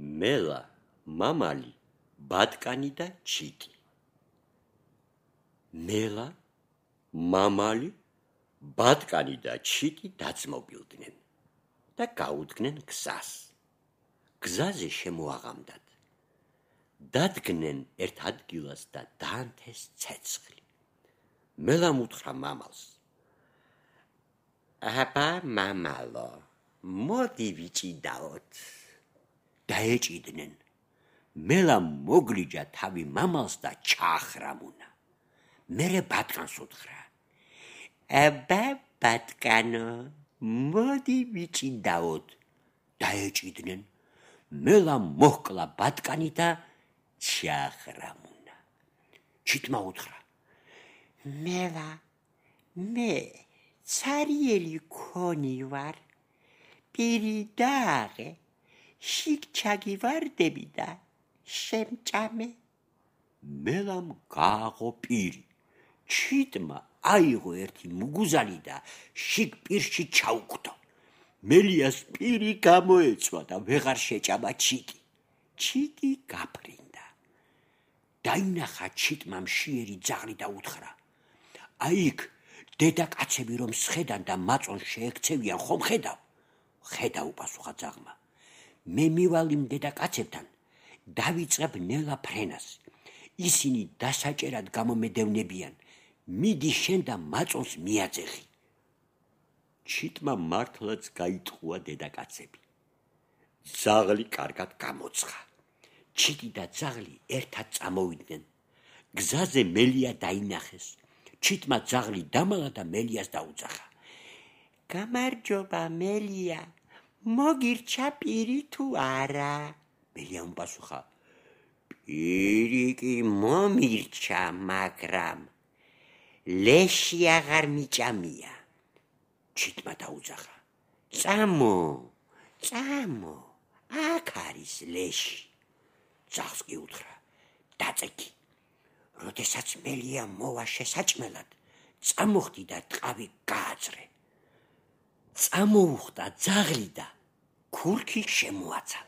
მელა, მამალი, ბატკანი და ჩიტი. მელა, მამალი, ბატკანი და ჩიტი დაძმობილდნენ და გაუდგნენ გზას. გზაზე შემოაღამდათ. დადგნენ ერთ ადგილას და დაანთეს ცეცხლი. მელამ უთხრა მამალს: აბა მამალო, მოდი ვიჭიდაოთ. დაეჭიდნენ. მელამ მოგლიჯა თავი მამალს და ჩაახრამუნა. მერე ბატკანს უთხრა: აბა ბატკანო, მოდი ვიჭიდაოთ. დაეჭიდნენ. მელამ მოჰკლა ბატკანი და ჩაახრამუნა. ჩიტმა უთხრა: მელა, მე ცარიელი ქონი ვარ, პირი დააღე, შიგ ჩაგივარდები და შემჭამე. მელამ გააღო პირი. ჩიტმა აიღო ერთი მუგუზანი და შიგ პირში ჩაუკვდო. მელიას პირი გამოეცვა და ვეღარ შეჭამა ჩიტი. ჩიტი გაფრინდა. დაინახა ჩიტმა მშიერი ძაღლი და უთხრა: აიქ დედაკაცები რომ სხედან და მაწონს შეექცევიან, ხომ ხედავ? ხედავ, პასუხა ძაღლმა. მე მივალ იმ დედაკაცებთან, დავიწყებ ნელა ფრენას. ისინი დასაჭერად გამომედევნებიან. მიდი შენ და მაწონს მიაძეხი. ჩიტმა მართლაც გაიტყუა დედაკაცები. ძაღლი კარგად გამოცხა. ჩიტი და ძაღლი ერთად წამოვიდნენ. გზაზე მელია დაინახეს. ჩიტმა ძაღლი დამალა და მელიას დაუძახა: გამარჯობა მელია, მოგირჩა პირი თუ არა? მელიამ პასუხა: პირი კი მომირჩა, მაგრამ ლეში აღარ მიჭამია. ჩიტმა დაუძახა: წამო, წამო, აქ არის ლეში. ძაღლს კი უთხრა: დაწექი. როდესაც მელია მოვა შესაჭმელად, წამოხდი და ტყავი გააძრე. წამოუხდა ძაღლი და ქურქი შემოაცა.